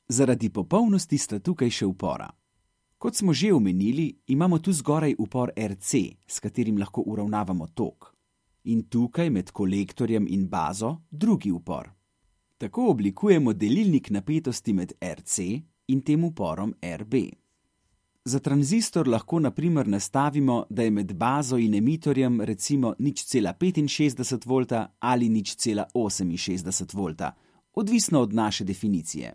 Zaradi popolnosti sta tukaj še upora. Kot smo že omenili, imamo tu zgoraj upor RC, s katerim lahko uravnavamo tok. In tukaj med kolektorjem in bazo drugi upor. Tako oblikujemo delilnik napetosti med RC in tem uporom RB. Za tranzistor lahko na primer nastavimo, da je med bazo in emitorjem recimo 0,65 V ali 0,68 V, odvisno od naše definicije.